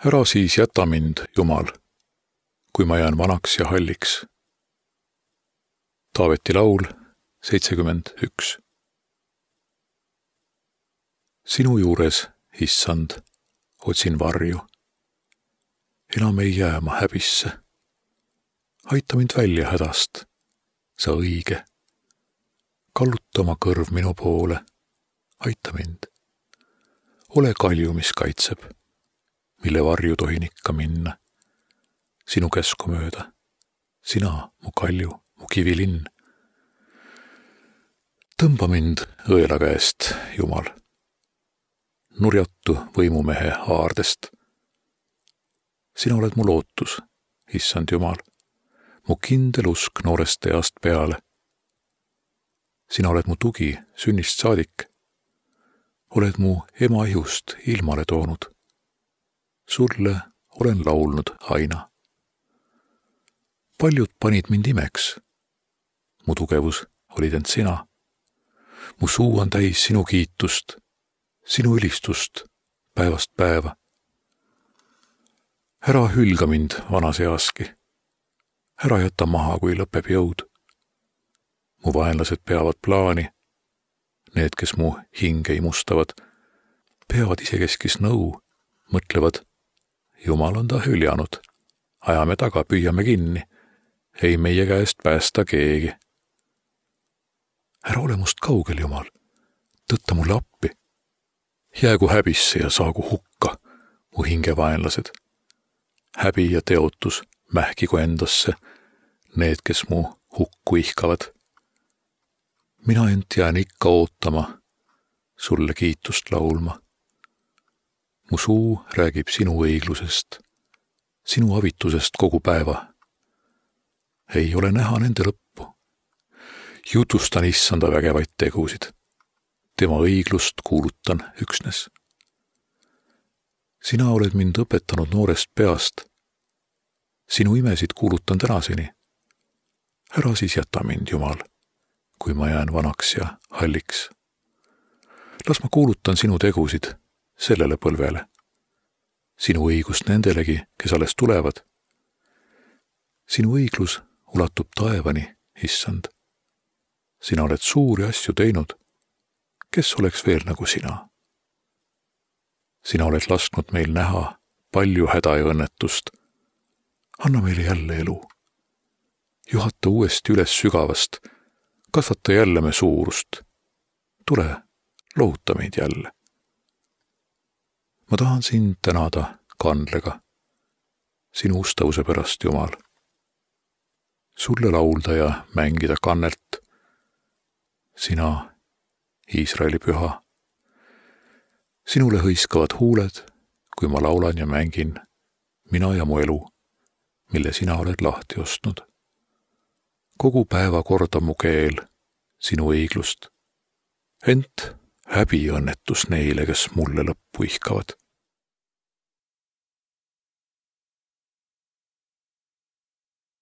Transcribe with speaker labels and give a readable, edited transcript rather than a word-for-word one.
Speaker 1: Ära siis jäta mind, Jumal, kui ma jään vanaks ja halliks. Taaveti laul 71. Sinu juures, Issand, otsin varju. Enam ei jää ma häbisse. Aita mind välja hädast, sa õige. Kalluta oma kõrv minu poole, aita mind. Ole kalju, mis kaitseb, mille varju tohin ikka minna. Sinu käsku mööda, sina, mu kalju, mu kivilinn. Tõmba mind õela käest, Jumal. Nurjatu võimumehe haardest. Sina oled mu lootus, Issand Jumal, mu kindel usk noorest east peale. Sina oled mu tugi sünnist saadik. Oled mu ema ihust ilmale toonud. Sulle olen laulnud aina. Paljud panid mind imeks. Mu tugevus olid end sina. Mu suu on täis sinu kiitust, sinu ülistust päevast päeva. Ära hülga mind vanas easki. Ära jäta maha, kui lõpeb jõud. Mu vaenlased peavad plaani. Need, kes mu hinge imustavad, peavad isekeskis nõu, mõtlevad, Jumal on ta hüljanud. Ajame taga, püüame kinni. Ei meie käest päästa keegi. Ära ole must kaugel, Jumal. Tõtta mulle appi. Jäägu häbisse ja saagu hukka mu hingevaenlased. Häbi ja teotus mähkigu endasse need, kes mu hukku ihkavad. Mina ent jään ikka ootama, sulle kiitust laulma. Mu suu räägib sinu õiglusest, sinu avitusest kogu päeva. Ei ole näha nende lõppu. Jutustan Issanda vägevaid tegusid. Tema õiglust kuulutan üksnes. Sina oled mind õpetanud noorest peast. Sinu imesid kuulutan tänaseni. Ära siis jäta mind, Jumal, kui ma jään vanaks ja halliks. Las ma kuulutan sinu tegusid sellele põlvele. Sinu õigust nendelegi, kes alles tulevad. Sinu õiglus ulatub taevani, Issand. Sina oled suuri asju teinud. Kes oleks veel nagu sina? Sina oled lasknud meil näha palju häda ja õnnetust. Anna meile jälle elu. Juhata uuesti üles sügavast. Kasvata jälle me suurust. Tule, lohuta meid jälle. Ma tahan sind tänada kandlega. Sinu ustavuse pärast, Jumal. Sulle laulda ja mängida kannelt. Sina, Iisraeli püha. Sinule hõiskavad huuled, kui ma laulan ja mängin, mina ja mu elu, mille sina oled lahti ostnud. Kogu päeva kordab mu keel sinu õiglust. Ent häbi õnnetus neile, kes mulle lõppu ihkavad.